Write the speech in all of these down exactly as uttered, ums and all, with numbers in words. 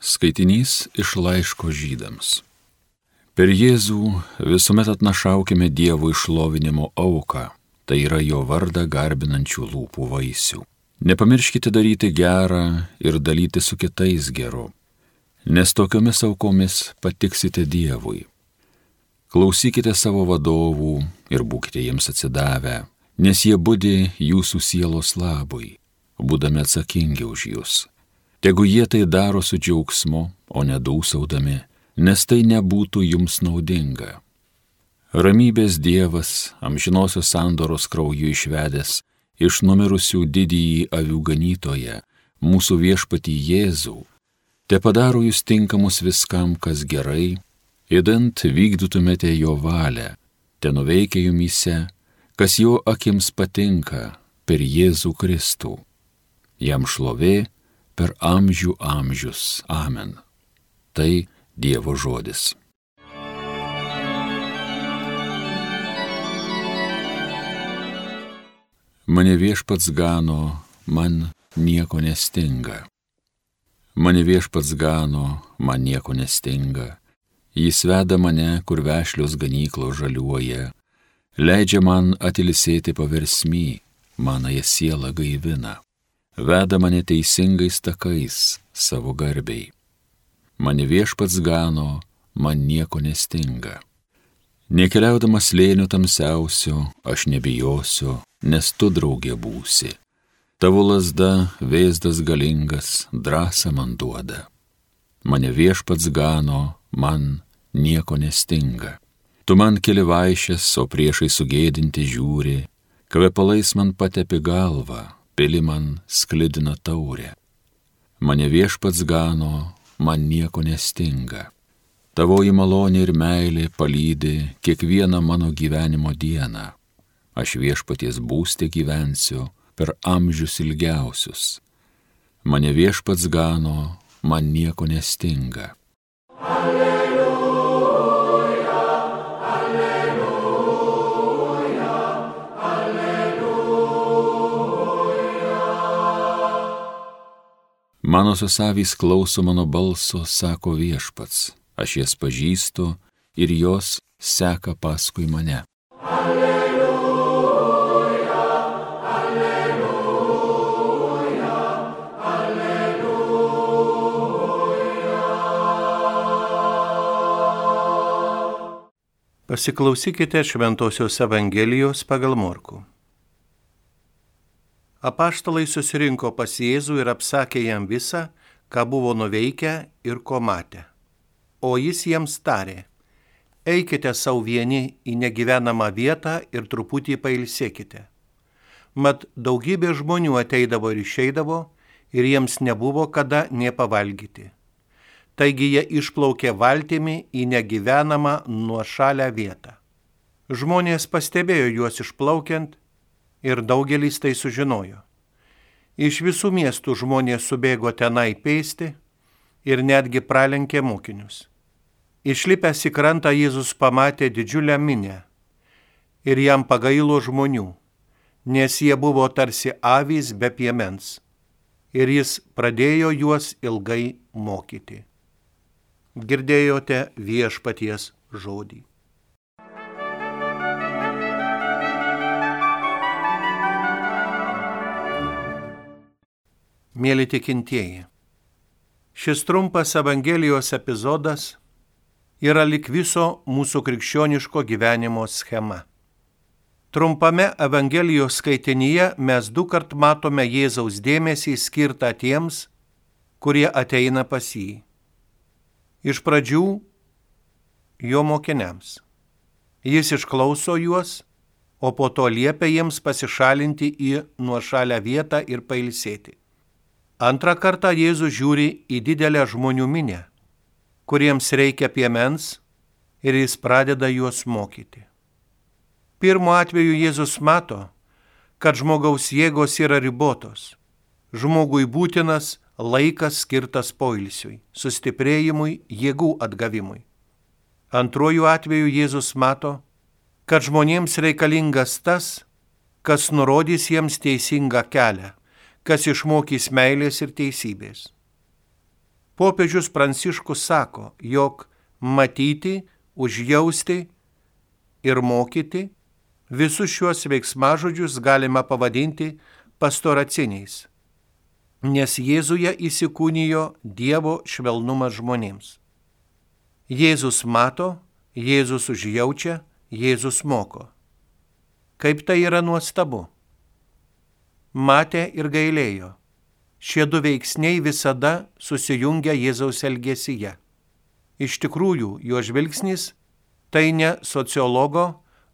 Skaitinys iš laiško Žydams. Per Jėzų visuomet atnašaukime Dievo išlovinimo auką, tai yra jo vardą garbinančių lūpų vaisių. Nepamirškite daryti gerą ir dalyti su kitais geru, nes tokiomis aukomis patiksite Dievui. Klausykite savo vadovų ir būkite jiems atsidavę, nes jie budi jūsų sielos labui, būdami atsakingi už jūs. Tegu jie tai daro su džiaugsmu, o ne dūsaudami, nes tai nebūtų jums naudinga. Ramybės Dievas, amžinosios sandoros krauju išvedęs iš numirusių didįjį avių ganytoją, mūsų viešpatį Jėzų, te padaro jūs tinkamus viskam, kas gerai, idant vykdytumėte jo valią, te nuveikia jumyse, kas jo akims patinka per Jėzų Kristų. Jam šlovė per amžių amžius. Amen. Tai Dievo žodis. Mane viešpats gano, man nieko nestinga. Mane viešpats gano, man nieko nestinga. Jis veda mane, kur vešlios ganyklos žaliuoja, leidžia man atilsėti paversmy, manąją sielą gaivina. Veda mane teisingais takais savo garbei. Mane viešpats gano, man nieko nestinga. Nekeliaudamas slėniu tamsiausio, aš nebijosiu, nes tu draugė būsi. Tavo lazda, vėzdas galingas, drąsą man duoda. Mane viešpats gano, man nieko nestinga. Tu man keli vaišes, o priešai sugėdinti žiūri, kvepalais man patepi galvą, pili man sklidina taurę. Mane viešpats gano, man nieko nestinga. Tavoji malonė ir meilė palydi kiekvieną mano gyvenimo dieną. Aš viešpaties būste gyvensiu per amžius ilgiausius. Mane viešpats gano, man nieko nestinga. Alleluja, alleluja, alleluja. Mano susavys klauso mano balso, sako viešpats. Aš jas pažįstu ir jos seka paskui mane. Alleluja, alleluja, alleluja. Pasiklausykite Šventosios Evangelijos pagal Morkų. Apaštalai susirinko pas Jėzų ir apsakė jam visą, ką buvo nuveikę ir ko matę. O jis jiems tarė: eikite sau vieni į negyvenamą vietą ir truputį pailsėkite. Mat daugybė žmonių ateidavo ir išeidavo, ir jiems nebuvo kada nė pavalgyti. Taigi jie išplaukė valtimi į negyvenamą nuošalią vietą. Žmonės pastebėjo juos išplaukiant ir daugelis tai sužinojo. Iš visų miestų žmonės subėgo tenai pėsti ir netgi pralenkė mokinius. Išlipęs į krantą Jėzus pamatė didžiulę minią ir jam pagailo žmonių, nes jie buvo tarsi avys be piemens, ir jis pradėjo juos ilgai mokyti. Girdėjote viešpaties žodį. Mėly tikintieji, šis trumpas Evangelijos epizodas yra lyg viso mūsų krikščioniško gyvenimo schema. Trumpame Evangelijos skaitinyje mes du kart matome Jėzaus dėmesį skirtą tiems, kurie ateina pas jį. Iš pradžių jo mokiniams. Jis išklauso juos, o po to liepia jiems pasišalinti į nuošalią vietą ir pailsėti. Antrą kartą Jėzus žiūri į didelę žmonių minią, kuriems reikia piemens, ir jis pradeda juos mokyti. Pirmu atveju Jėzus mato, kad žmogaus jėgos yra ribotos. Žmogui būtinas laikas skirtas poilsiui, sustiprėjimui, jėgų atgavimui. Antruoju atveju Jėzus mato, kad žmonėms reikalingas tas, kas nurodys jiems teisingą kelią, kas išmokys meilės ir teisybės. Popiežius Pranciškus sako, jog matyti, užjausti ir mokyti visus šiuos veiksmažodžius galima pavadinti pastoraciniais, nes Jėzuje įsikūnijo Dievo švelnumas žmonėms. Jėzus mato, Jėzus užjaučia, Jėzus moko. Kaip tai yra nuostabu. Matė ir gailėjo. Šie du veiksniai visada susijungia Jėzaus elgesyje. Iš tikrųjų, jo žvilgsnis tai ne sociologo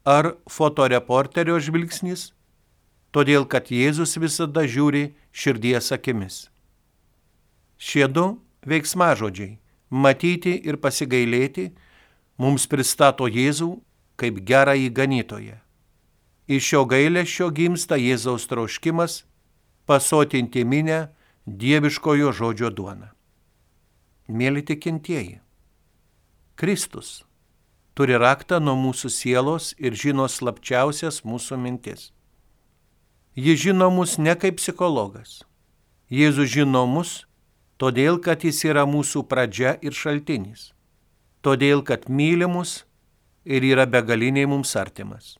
ar fotoreporterio žvilgsnis, todėl kad Jėzus visada žiūri širdies akimis. Šie du veiksmažodžiai – matyti ir pasigailėti – mums pristato Jėzų kaip gerąjį ganytoją. Iš šio gailesčio gimsta Jėzaus troškimas pasotinti minią dieviškojo žodžio duoną. Mėly tikintieji, Kristus turi raktą nuo mūsų sielos ir žino slapčiausias mūsų mintis. Jis žino mus ne kaip psichologas. Jėzus žino mus, todėl kad jis yra mūsų pradžia ir šaltinis. Todėl, kad myli mus ir yra begaliniai mums artimas.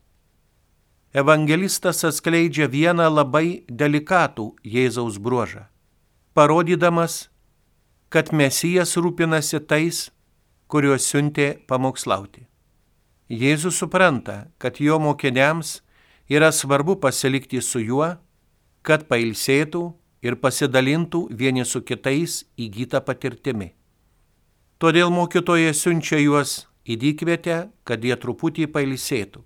Evangelistas atskleidžia vieną labai delikatų Jėzaus bruožą, parodydamas, kad Mesijas rūpinasi tais, kuriuos siuntė pamokslauti. Jėzus supranta, kad jo mokiniams yra svarbu pasilikti su juo, kad pailsėtų ir pasidalintų vieni su kitais įgytą patirtimi. Todėl mokytojas siunčia juos į dykvietę, kad jie truputį pailsėtų.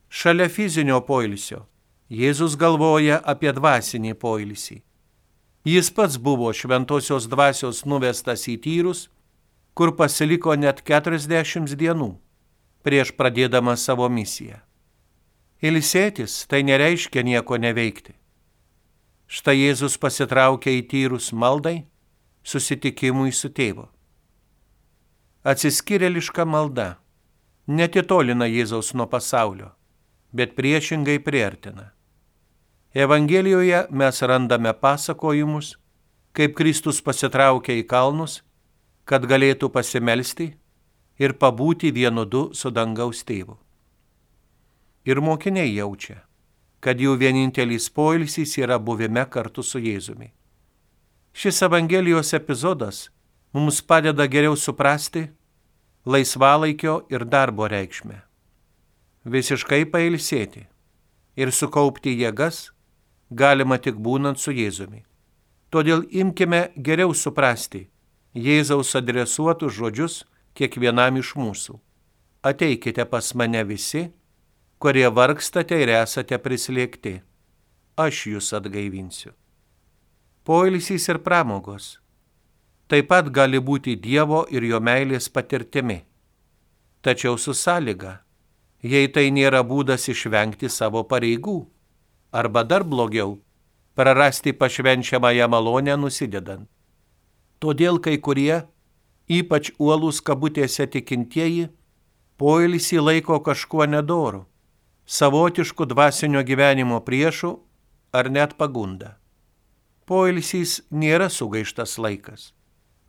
Šalia fizinio poilsio Jėzus galvoja apie dvasinį poilsį. Jis pats buvo šventosios dvasios nuvestas į Tyrus, kur pasiliko net keturiasdešimt dienų prieš pradėdamas savo misiją. Ilsėtis tai nereiškia nieko neveikti. Štai Jėzus pasitraukia į Tyrus maldai, susitikimui su tėvu. Atsiskyrėliška malda netitolina Jėzaus nuo pasaulio, bet priešingai priartina. Evangelijoje mes randame pasakojimus, kaip Kristus pasitraukia į kalnus, kad galėtų pasimelsti ir pabūti vienodu su dangaus tėvu. Ir mokiniai jaučia, kad jų vienintelis poilsis yra buvime kartu su Jėzumi. Šis Evangelijos epizodas mums padeda geriau suprasti laisvalaikio ir darbo reikšmę. Visiškai pailsėti ir sukaupti jėgas galima tik būnant su Jėzumi. Todėl imkime geriau suprasti Jėzaus adresuotus žodžius kiekvienam iš mūsų. Ateikite pas mane visi, kurie vargstate ir esate prislėgti. Aš jūs atgaivinsiu. Poilsis ir pramogos taip pat gali būti Dievo ir jo meilės patirtimi. Tačiau su sąlyga, jei tai nėra būdas išvengti savo pareigų, arba dar blogiau, prarasti pašvenčiamąją malonę nusidedant. Todėl kai kurie, ypač uolūs kabutėse tikintieji, poilsį laiko kažkuo nedoru, savotišku dvasinio gyvenimo priešu ar net pagunda. Poilsis nėra sugaištas laikas,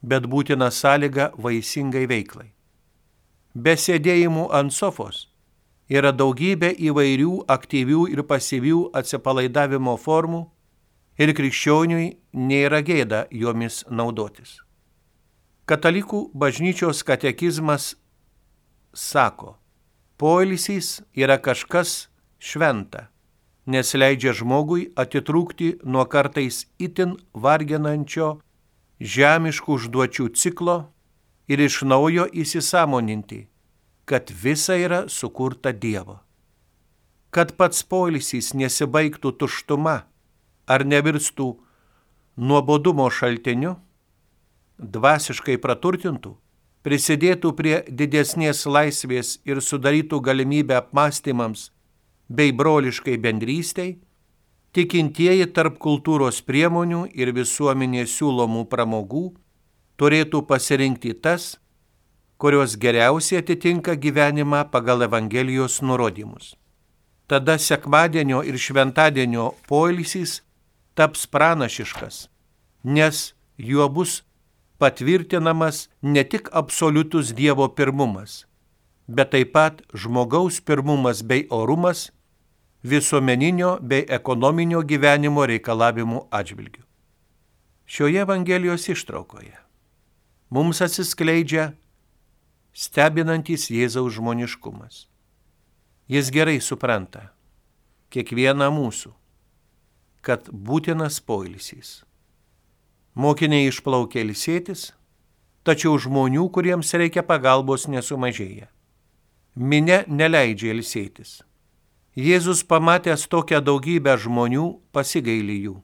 bet būtina sąlyga vaisingai veiklai. Be sėdėjimų ant sofos yra daugybė įvairių aktyvių ir pasyvių atsipalaidavimo formų ir krikščioniui nėra gėda jomis naudotis. Katalikų bažnyčios katekizmas sako, poilsis yra kažkas šventa, nes leidžia žmogui atitrūkti nuo kartais itin varginančio žemiškų užduočių ciklo ir iš naujo įsisąmoninti, kad visa yra sukurta Dievo. Kad pats poilsis nesibaigtų tuštuma ar nevirstų nuobodumo šaltiniu, dvasiškai praturtintų, prisidėtų prie didesnės laisvės ir sudarytų galimybę apmąstymams bei broliškai bendrystei, tikintieji tarp kultūros priemonių ir visuomenės siūlomų pramogų turėtų pasirinkti tas, kurios geriausiai atitinka gyvenimą pagal Evangelijos nurodymus. Tada sekmadienio ir šventadienio poilsis taps pranašiškas, nes juo bus patvirtinamas ne tik absoliutus Dievo pirmumas, bet taip pat žmogaus pirmumas bei orumas visuomeninio bei ekonominio gyvenimo reikalavimų atžvilgių. Šioje Evangelijos ištraukoje mums atsiskleidžia stebinantis Jėzaus žmoniškumas. Jis gerai supranta kiekvieną mūsų, kad būtinas poilsys. Mokiniai išplaukia ilsėtis, tačiau žmonių, kuriems reikia pagalbos, nesumažėja. Minia neleidžia ilsėtis. Jėzus pamatęs tokią daugybę žmonių, pasigaili jų.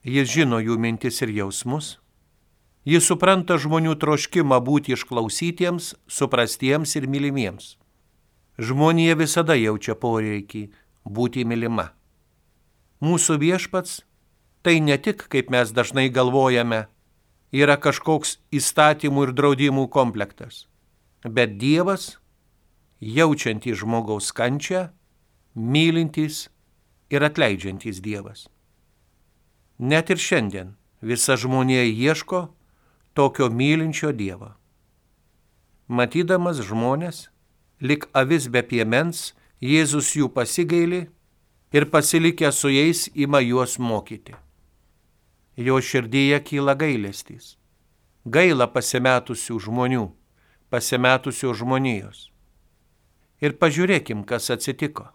Jis žino jų mintis ir jausmus. Jis supranta žmonių troškimą būti išklausytiems, suprastiems ir mylimiems. Žmonija visada jaučia poreikį būti mylima. Mūsų Viešpats tai ne tik, kaip mes dažnai galvojame, yra kažkoks įstatymų ir draudimų komplektas, bet Dievas, jaučiantys žmogaus kančią, mylintys ir atleidžiantys Dievas. Net ir šiandien visa žmonija ieško tokio mylinčio Dievo. Matydamas žmonės, lyg avis be piemens, Jėzus jų pasigaili ir pasilikę su jais ima juos mokyti. Jo širdyje kyla gailestis. Gaila pasimetusių žmonių, pasimetusių žmonijos. Ir pažiūrėkim, kas atsitiko.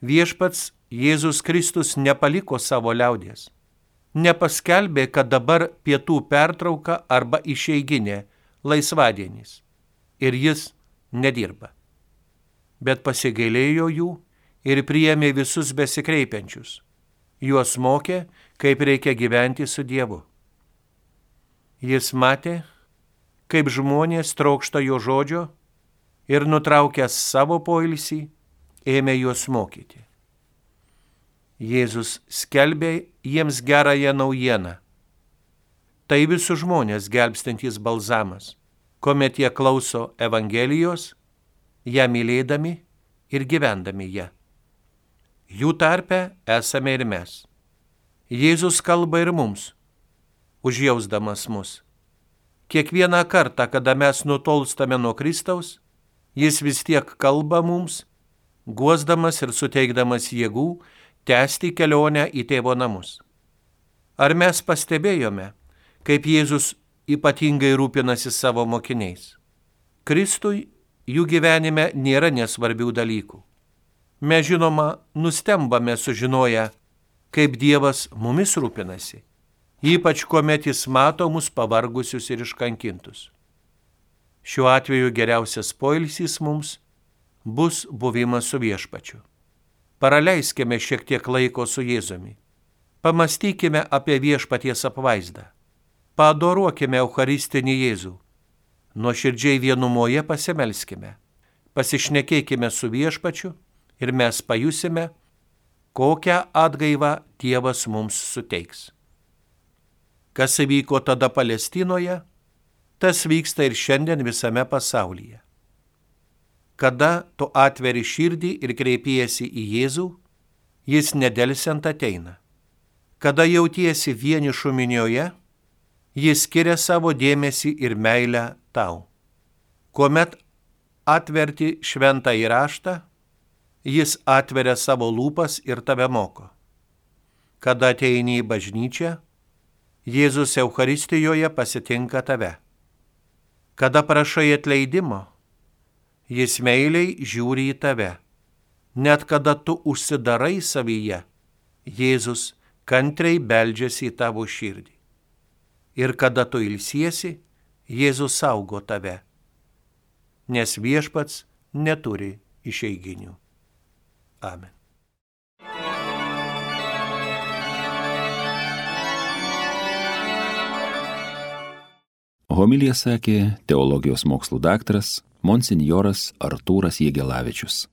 Viešpats Jėzus Kristus nepaliko savo liaudies. Nepaskelbė, kad dabar pietų pertrauka arba išeiginė, laisvadienis. Ir jis nedirba. Bet pasigailėjo jų ir priėmė visus besikreipiančius. Juos mokė, kaip reikia gyventi su Dievu. Jis matė, kaip žmonės trokšta jo žodžio ir nutraukęs savo poilsį, ėmė juos mokyti. Jėzus skelbė jiems gerąją naujieną. Tai visų žmonės gelbstintis balzamas, kuomet jie klauso Evangelijos, ją mylėdami ir gyvendami ją. Jų tarpe esame ir mes. Jėzus kalba ir mums, užjausdamas mus. Kiekvieną kartą, kada mes nutolstame nuo Kristaus, jis vis tiek kalba mums, guosdamas ir suteikdamas jėgų tęsti kelionę į Tėvo namus. Ar mes pastebėjome, kaip Jėzus ypatingai rūpinasi savo mokiniais? Kristui jų gyvenime nėra nesvarbių dalykų. Mes žinoma nustembame sužinoję, kaip Dievas mumis rūpinasi, ypač kuomet jis mato mus pavargusius ir iškankintus. Šiuo atveju geriausias poilsis mums bus buvimas su Viešpačiu. Praleiskime šiek tiek laiko su Jėzumi. Pamastykime apie Viešpaties apvaizdą. Paadoruokime Eucharistinį Jėzų. Nuoširdžiai vienumoje pasimelskime. Pasišnekėkime su Viešpačiu ir mes pajusime, kokią atgaivą Dievas mums suteiks. Kas įvyko tada Palestinoje, tas vyksta ir šiandien visame pasaulyje. Kada tu atveri širdį ir kreipiesi į Jėzų, jis nedelsiant ateina. Kada jautiesi vienišu minioje, jis skiria savo dėmesį ir meilę tau. Kuomet atverti šventąjį raštą, jis atveria savo lūpas ir tave moko. Kada ateini į bažnyčią, Jėzus Eucharistijoje pasitinka tave. Kada prašai atleidimo, jis meiliai žiūri į tave. Net kada tu užsidarai savyje, Jėzus kantriai beldžiasi į tavo širdį. Ir kada tu ilsiesi, Jėzus saugo tave, nes Viešpats neturi išeiginių. Amen. Homiliją sakė teologijos mokslų daktaras monsinjoras Artūras Jegelavičius.